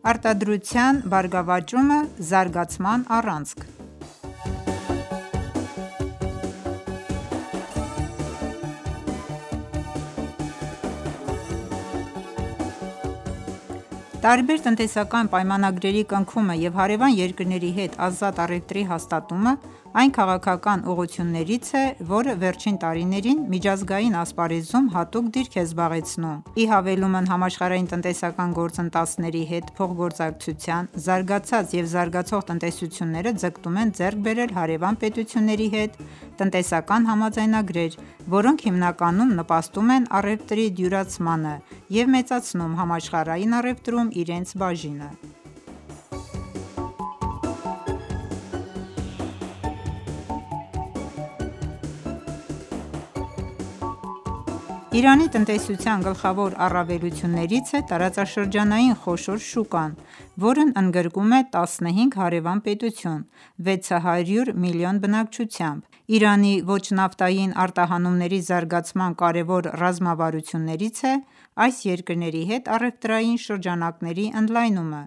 Արտադրության բարգավաճումը, զարգացման առանցք։ Տարբեր տնտեսական պայմանագրերի կնքումը և հարևան երկրների հետ ազատ առևտրի հաստատումը այն քաղաքական ուղղություններից է, որը վերջին տարիներին միջազգային ասպարեզում հատուկ դիրք է զբաղեցնում: Ի հավելումն համաշխարհային տնտեսական գործընթացների հետ փոխգործակցության, զարգացած և զարգացող տնտեսությունները ձգտում են ձեռք բերել հարևան պետությունների հետ տնտեսական համաձայնագրեր, որոնք հիմնականում նպաստում են առևտրի դյուրացմանը և մեծացնում համաշխարհային առևտրում իրենց բաժինը: Իրանի տնտեսության գլխավոր առավելություններից է տարածաշրջանային խոշոր շուկան, որն ընդգրկում է 15 հարևան պետություն՝ 600 միլիոն բնակչությամբ: Իրանի ոչ նավթային արտահանումների զարգացման կարևոր ռազմավարություններից է այս երկրների հետ առևտրային շրջանակների ընդլայնումը: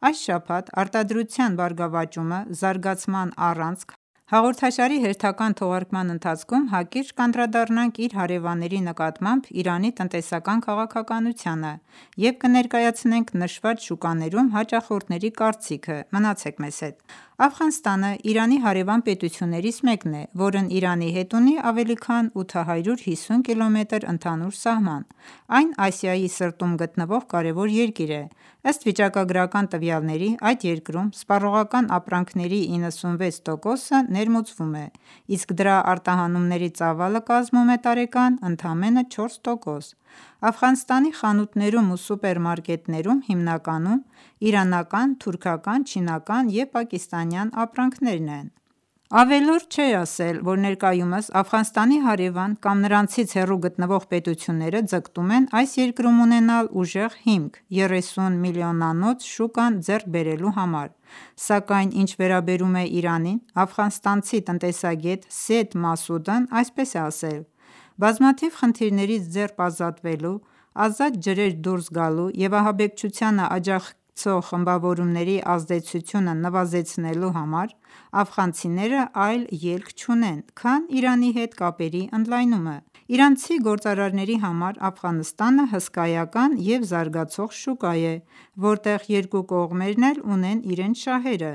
Այս շաբաթ «Արտադրության բարգավաճումը, զարգացման առանցք» հաղորդաշարի հերթական թողարկման ընթացքում հակիրճ կանդրադառնանք իր հարևանների նկատմամբ Իրանի տնտեսական քաղաքականությանը և կներկայացնենք նշված շուկաներում հաճախորդների կարծիքը: Մնացեք մեզ հետ: Աֆղանստանը Իրանի հարևան պետություններից մեկն է, որն Իրանի հետ ունի ավելի քան 850 կմ ընդհանուր սահման: Այն Ասիայի սրտում գտնվող կարևոր երկիր է: Ըստ վիճակագրական տվյալների, այդ երկրում սպառողական ապրանքների 96%-ը ներմուծվում է, իսկ դրա արտահանումների ծավալը կազմում է տարեկան ընդամենը 4%: Աֆղանստանի խանութներում ու սուպերմարկետներում հիմնականում իրանական, թուրքական, չինական և պակիստանյան ապրանքներն են: Ավելորդ չէ ասել, որ ներկայումս Աֆղանստանի հարևան կամ նրանցից հեռու գտնվող պետությունները ձգտում են այս երկրում ունենալ ուժեղ հիմք 30 միլիոնանոց շուկան ձեռք բերելու համար: Սակայն ինչ վերաբերում է Իրանին, աֆղանստանցի տնտեսագետ Սեյեդ Մասուդն այսպես է ասել. «Բազմաթիվ խնդիրներից ձեռք ազատվելու, ազատ ջրեր դուրս գալու և ահաբեկչությանը աջակցող խմբավորումների ազդեցությունը նվազեցնելու համար աֆղանցիները այլ ելք չունեն, քան Իրանի հետ կապերի ընդլայնումը: Իրանցի գործարարների համար Աֆղանստանը հսկայական և զարգացող շուկա է, որտեղ երկու կողմերն էլ ունեն իրենց շահերը,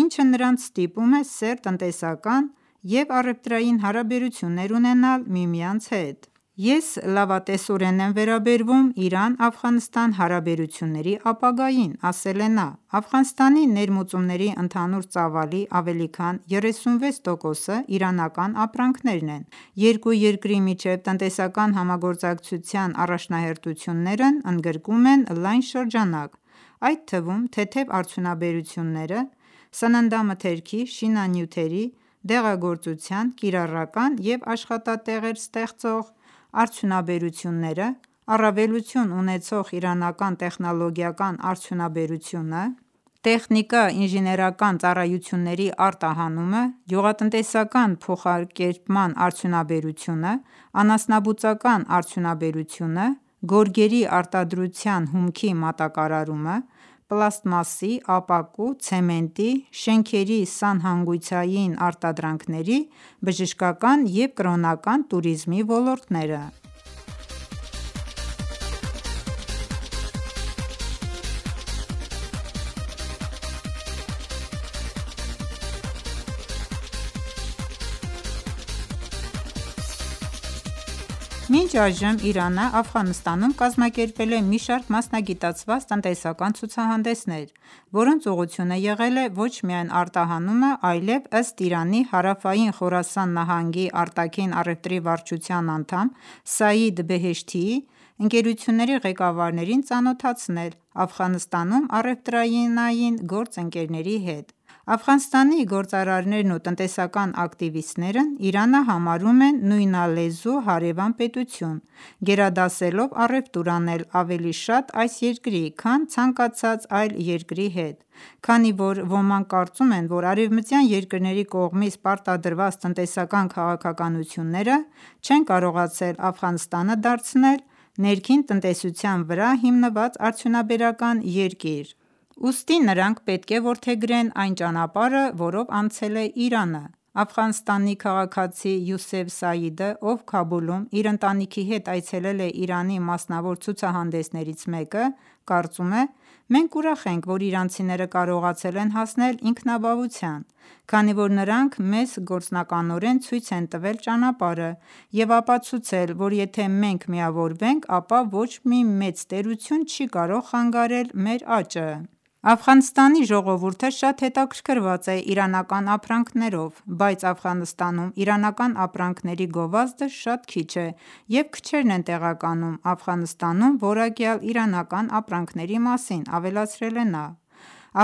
ինչը նրանց ստիպում է սերտ տնտեսական և առևտրային հարաբերություններ ունենալ միմյանց հետ: Ես լավատեսորեն եմ վերաբերվում Իրան-Աֆղանստան հարաբերությունների ապագային», - ասել է նա: Աֆղանստանի ներմուծումների ընդհանուր ծավալի ավելի քան 36%-ը իրանական ապրանքներն են: Երկու երկրի միջև տնտեսական համագործակցության առաջնահերթություններն ընդգրկում են լայն շրջանակ, այդ թվում թեթև արդյունաբերությունները, սննդամթերքի, շինանյութերի, դեղագործության, կիրառական և աշխատատեղեր ստեղծող արդյունաբերությունները, առավելություն ունեցող իրանական տեխնոլոգիական արդյունաբերությունը, տեխնիկա-ինժեներական ծառայությունների արտահանումը, գյուղատնտեսական փոխակերպման արդյունաբերությունը, անասնաբուծական արդյունաբերությունը, գորգերի արտադրության հումքի մատակարարումը, պլաստմասի, ապակու, ցեմենտի, շենքերի սանհանգույցային արտադրանքների, բժշկական և կրոնական տուրիզմի ոլորտները: Մինչ այժմ Իրանը Աֆղանստանում կազմակերպել է մի շարք մասնագիտացված տնտեսական ցուցահանդեսներ, որոնց ուղղությունը եղել է ոչ միայն արտահանումը, այլև ըստ Իրանի Հարավային Խորասան նահանգի արտաքին առևտրի վարչության անդամ Սաիդ Բեհեշթիի ընկերությունների ղեկավարներին ծանոթացնել Աֆղանստանում առևտրայինային գործընկերների հետ: Աֆղանստանի գործարարներն ու տնտեսական ակտիվիստներն Իրանը համարում են նույնալեզու հարևան պետություն, գերադասելով առևտուր անել ավելի շատ այս երկրի, քան ցանկացած այլ երկրի հետ: Քանի որ ոմանք կարծում են, որ արևմտյան երկրների կողմից պարտադրված տնտեսական քաղաքականությունները չեն կարողացել Աֆղանստանը դարձնել ներքին տնտեսության վրա հիմնված արդյունաբերական երկիր: ուստի նրանք պետք է որդեգրեն այն ճանապարհը, որով անցել է Իրանը։ Աֆղանստանի քաղաքացի Յուսեֆ Սաիդը, ով Քաբուլում իր ընտանիքի հետ այցելել է Իրանի մասնավոր ցուցահանդեսներից մեկը, կարծում է. «Մենք ուրախ ենք, որ իրանցիները կարողացել են հասնել ինքնաբավության, քանի որ նրանք մեզ գործնականորեն ցույց են տվել ճանապարհը և ապացուցել, որ եթե մենք միավորվենք, ապա ոչ մի մեծ տերություն չի կարող խանգարել մեր աճը»։ Աֆղանստանի ժողովուրդը շատ հետաքրքրված է իրանական ապրանքներով, բայց Աֆղանստանում իրանական ապրանքների գովազդը շատ քիչ է և քչերն են տեղականում Աֆղանստանում որակյալ իրանական ապրանքների մասին, ավելացրել է նա: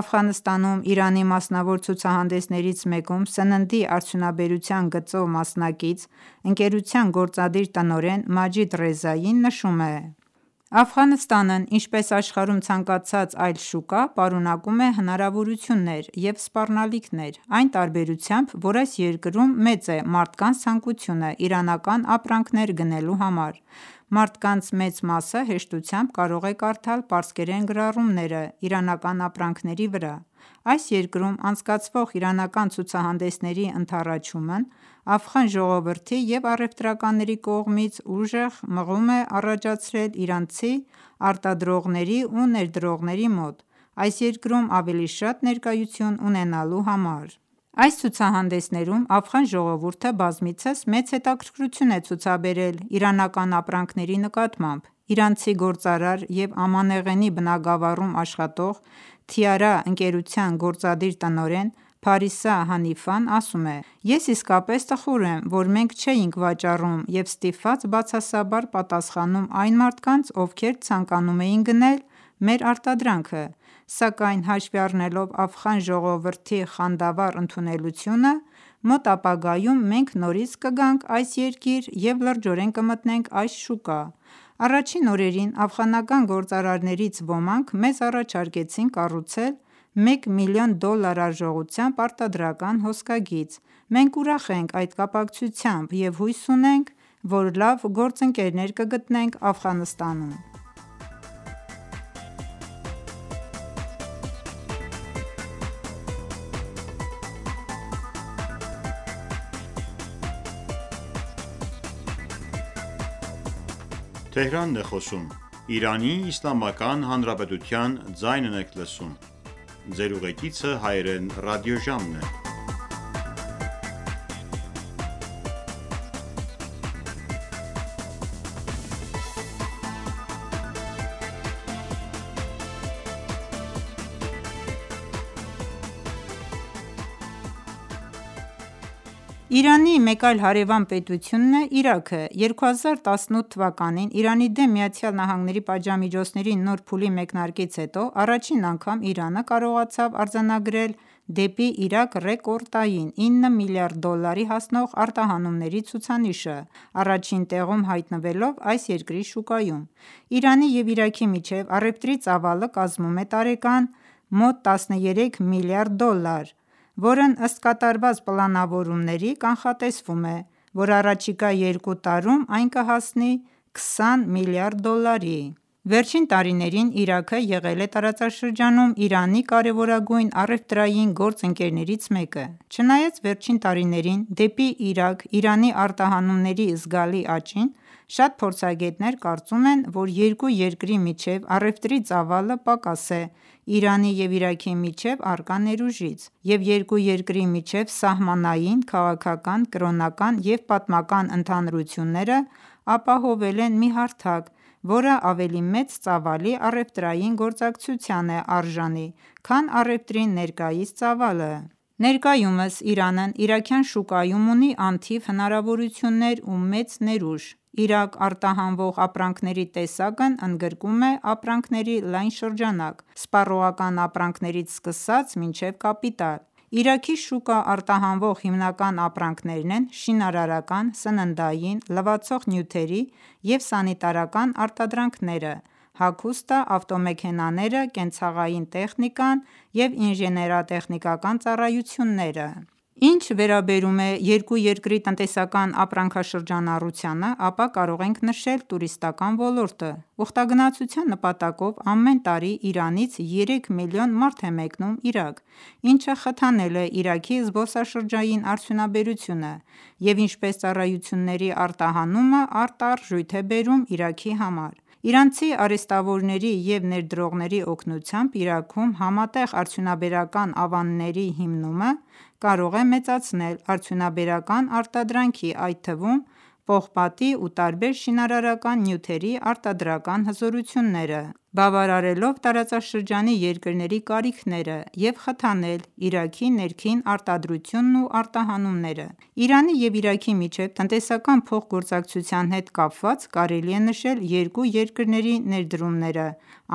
Աֆղանստանում Իրանի մասնավոր ցուցահանդեսներից մեկում սննդի արդյունաբերության գծով մասնակից ընկերության գործադիր տնօրեն Մաջիդ Ռեզային նշում է. «Աֆղանստանն, ինչպես աշխարհում ցանկացած այլ շուկա, պարունակում է հնարավորություններ և սպառնալիքներ, այն տարբերությամբ, որ այս երկրում մեծ է մարդկանց ցանկությունը իրանական ապրանքներ գնելու համար: Մարդկանց մեծ մասը հեշտությամբ կարող է կարդալ պարսկերեն գրառումները իրանական ապրանքների վրա: Այս երկրում անցկացվող իրանական ցուցահանդեսների ընդառաջումն աֆղան ժողովրդի և առևտրականների կողմից ուժեղ մղում է առաջացրել իրանցի արտադրողների ու ներդրողների մոտ, այս երկրում ավելի շատ ներկայություն ունենալու համար: Այս ցուցահանդեսներում աֆղան ժողովուրդը բազմիցս մեծ հետաքրքրություն է ցուցաբերել իրանական ապրանքների նկատմամբ: Իրանցի գործարար և Ամանեղենի բնագավառում աշխատող «Թիարա» ընկերության գործադիր տնօրեն Փարիսա Հանիֆան ասում է. «Ես իսկապես տխուր եմ, որ մենք չէինք վաճառում և ստիպված բացասաբար պատասխանում այն մարդկանց, ովքեր ցանկանում էին գնել մեր արտադրանքը, սակայն հաշվի առնելով աֆղան ժողովրդի խանդավառ ընդունելությունը, մոտ ապագայում մենք նորից կգանք այս երկիր և լրջորեն կմտնենք այս շուկա»: Առաջին օրերին աֆղանական գործարարներից ոմանք մեզ առաջարկեցին կառուցել $1 միլիոն արժողությամբ արտադրական հոսքագիծ: Մենք ուրախ ենք այդ կապակցությամբ և հույս ունենք, որ լավ գործընկերներ կգտնենք Աֆղանստանում»: Իրանի մեկ այլ հարևան պետությունն է Իրաքը: 2018 թվականին Իրանի դեմ ԱՄՆ-ի պատժամիջոցների նոր փուլի մեկնարկից հետո առաջին անգամ Իրանը կարողացավ արձանագրել դեպի Իրաք ռեկորդային $9 միլիարդ հասնող արտահանումների ցուցանիշը, առաջին տեղում հայտնվելով այս երկրի շուկայում: Իրանի և Իրաքի միջև առևտրի ծավալը կազմում է տարեկան մոտ $13 միլիարդ, որն ըստ կատարված պլանավորումների կանխատեսվում է, որ առաջիկա երկու տարում այն կհասնի $20 միլիարդի: Վերջին տարիներին Իրաքը եղել է տարածաշրջանում Իրանի կարևորագույն առևտրային գործընկերներից մեկը: Չնայած վերջին տարիներին դեպի Իրաք Իրանի արտահանումների զգալի աճին, շատ փորձագետներ կարծում են, որ երկու երկրի միջև առևտրի ծավալը պակաս է Իրանի և Իրաքի միջև առկա ներուժից, և երկու երկրի միջև սահմանային, քաղաքական, կրոնական և պատմական ընդհանրությունները ապահովել են մի հարթակ, որը ավելի մեծ ծավալի առևտրային գործակցության է արժանի, քան առևտրի ներկայիս ծավալը: Ներկայումս Իրանն իրաքյան շուկայում ունի անթիվ հնարավորություններ ու մեծ ներուժ: Իրաք արտահանվող ապրանքների տեսակն ընդգրկում է ապրանքների լայն շրջանակ՝ սպառողական ապրանքներից սկսած մինչև կապիտալ: Իրաքի շուկա արտահանվող հիմնական ապրանքներն են շինարարական, սննդային, լվացող նյութերի և սանիտարական արտադրանքները, հագուստը, ավտոմեքենաները, կենցաղային տեխնիկան և ինժեներատեխնիկական ծառայությունները: Ինչ վերաբերում է երկու երկրի տնտեսական ապրանքաշրջանառությանը, ապա կարող ենք նշել տուրիստական ոլորտը։ Ուխտագնացության նպատակով ամեն տարի Իրանից 3 միլիոն մարդ է մեկնում Իրաք, ինչը խթանել է Իրաքի զբոսաշրջային արդյունաբերությունը և ինչպես ծառայությունների արտահանումը արտարժույթ է բերում Իրաքի համար։ Իրանցի արհեստավորների և ներդրողների օգնությամբ Իրաքում համատեղ արդյունաբերական ավանների հիմնումը կարող է մեծացնել արդյունաբերական արտադրանքի, այդ թվում պողպատի ու տարբեր շինարարական նյութերի արտադրական հզորությունները, բավարարելով տարածաշրջանի երկրների կարիքները և խթանել Իրաքի ներքին արտադրությունն ու արտահանումները։ Իրանի և Իրաքի միջև տնտեսական փոխգործակցության հետ կապված կարելի է նշել երկու երկրների ներդրումները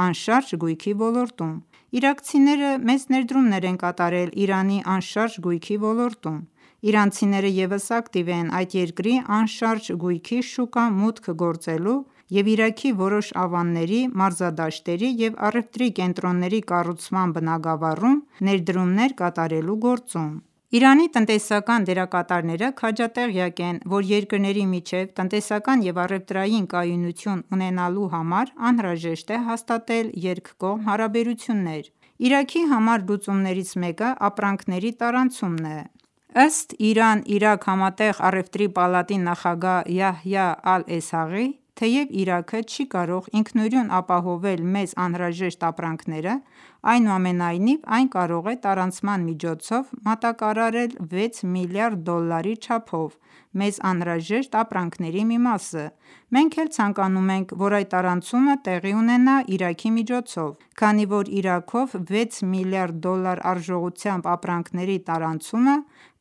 անշարժ գույքի ոլորտում։ Իրաքցիները մեծ ներդրումներ են կատարել Իրանի անշարժ գույքի ոլորտում։ Իրանցիները ևս ակտիվ են այդ երկրի անշարժ գույքի շուկա մուտք գործելու և Իրաքի որոշ ավանների, մարզադաշտերի և առևտրի կենտրոնների կառուցման բնագավառում ներդրումներ կատարելու գործում։ Իրանի տնտեսական դերակատարները քաջատեղյակ են, որ երկրների միջև տնտեսական և առևտրային կայունություն ունենալու համար անհրաժեշտ է հաստատել երկկողմ հարաբերություններ։ Իրաքի համար լուծումներից մեկը ապրանքների տարանցումն է։ Ըստ Իրան-Իրաք համատեղ առևտրի պալատի նախագահ Յահյա Ալ-Էսհաղի, թեև Իրաքը չի կարող ինքնուրույն ապահովել մեզ անհրաժեշտ ապրանքները, այնուամենայնիվ այն կարող է տարանցման միջոցով մատակարարել 6 միլիարդ դոլարի չափով մեզ անհրաժեշտ ապրանքների մի մասը։ Մենք էլ ցանկանում ենք, որ այդ տարանցումը տեղի ունենա Իրաքի միջոցով, քանի որ Իրաքով 6 միլիարդ դոլար արժողությամբ ապրանքների տարանցումը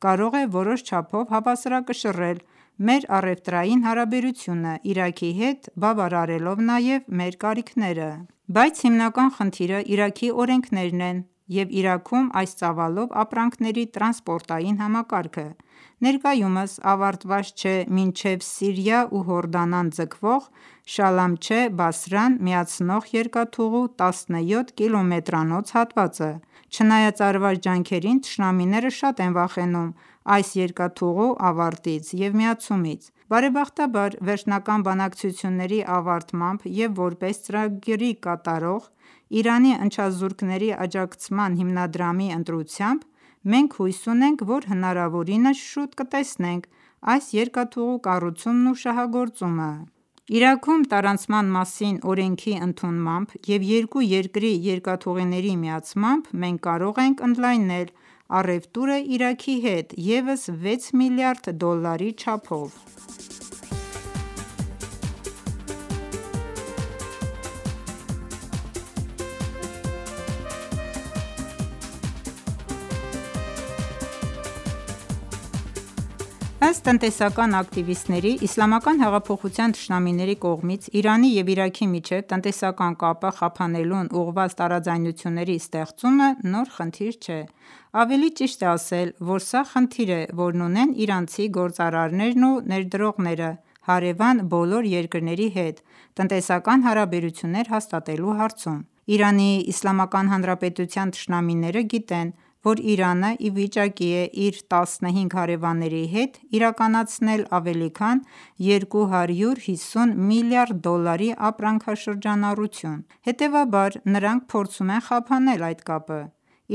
կարող է որոշ չափով հավասարակշռել մեր առևտրային հարաբերությունը Իրաքի հետ, բավարարելով նաև մեր կարիքները։ Բայց հիմնական խնդիրը Իրաքի օրենքներն են և Իրաքում այս ծավալով ապրանքների տրանսպորտային համակարգը։ Ներկայումս ավարտված չէ մինչև Սիրիա ու Հորդանան ձգվող Շալամչե-Բասրան միացնող երկաթուղու 17 կիլոմետրանոց հատվածը։ Չնայած արված ջանքերին, թշնամիները շատ են վախենում այս երկաթուղու ավարտից և միացումից։ Բարեբախտաբար, վերջնական բանակցությունների ավարտմամբ և որպես ծրագրի կատարող Իրանի ընչազուրկների աջակցման հիմնադրամի ընտրությամբ, մենք հույս ունենք, որ հնարավորինս շուտ կտեսնենք այս երկաթուղու կառուցումն ու շահագործումը։ Իրաքում տարանցման մասին օրենքի ընդունմամբ և երկու երկրի երկաթուղիների միացմամբ մենք կարող ենք ընդլայնել առևտուրը Իրաքի հետ ևս 6 միլիարդ դոլարի չափով։ Ըստ տնտեսական ակտիվիստների, Իսլամական հեղափոխության թշնամիների կողմից Իրանի և Իրաքի միջև տնտեսական կապը խափանելուն ուղղված տարաձայնությունների ստեղծումը նոր խնդիր չէ։ Ավելի ճիշտ է ասել, որ սա խնդիր է, որն ունեն իրանցի գործարարներն ու ներդրողները հարևան բոլոր երկրների հետ տնտեսական հարաբերություններ հաստատելու հարցում։ ԻԻՀ թշնամիները գիտեն, որ Իրանը ի վիճակի է իր 15 հարևանների հետ իրականացնել ավելի քան 250 միլիարդ դոլարի ապրանքաշրջանառություն։ Հետևաբար, նրանք փորձում են խափանել այդ կապը։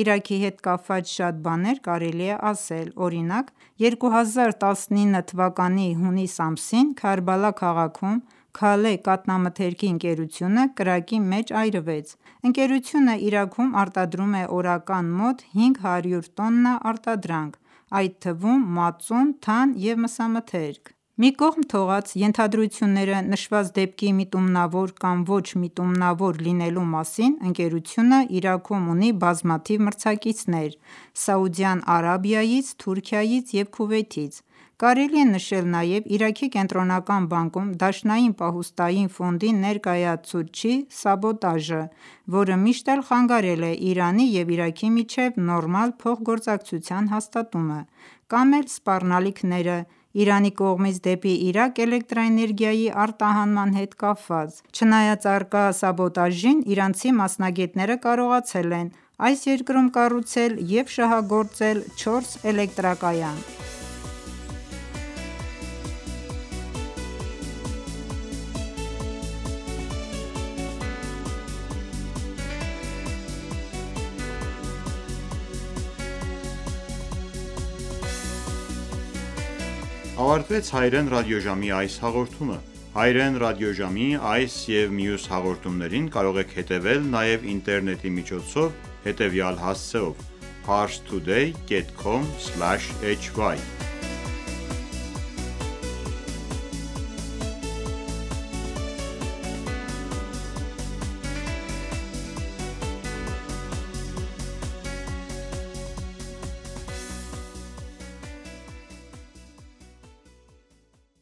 Իրաքի հետ կապված շատ բաներ կարելի է ասել, օրինակ՝ 2019 թվականի հունիս ամսին Քարբալա քաղաքում Քալե կաթնամթերքի ընկերությունը կրակի մեջ այրվեց։ Ընկերությունը Իրաքում արտադրում է օրական մոտ 500 տոննա արտադրանք, այդ թվում մածուն, թան և մսամթերք։ Մի կողմ թողած ենթադրությունները նշված դեպքի միտումնավոր կամ ոչ միտումնավոր լինելու մասին, ընկերությունը Իրաքում ունի բազմաթիվ մրցակիցներ Սաուդյան Արաբիայից, Թուրքիայից և Քուվեյթից։ Կարելի է նշել նաև Իրաքի կենտրոնական բանկում Դաշնային պահուստային ֆոնդի ներկայացուցչի սաբոտաժը, որը միշտ էլ խանգարել է Իրանի և Իրաքի միջև նորմալ փոխգործակցության հաստատումը, կամ էլ սպառնալիքները Իրանի կողմից դեպի Իրաք էլեկտրաէներգիայի արտահանման հետ կապված։ Չնայած առկա սաբոտաժին, իրանցի մասնագետները կարողացել են այս երկրում կառուցել և շահագործել 4 էլեկտրակայան։ Ավարտվեց հայրեն ռադիոժամի այս հաղորդումը։ Հայրեն ռադիոժամի այս և մյուս հաղորդումներին կարող եք հետևել նաև ինտերնետի միջոցով հետևյալ հասցեով՝ parstoday.com/hy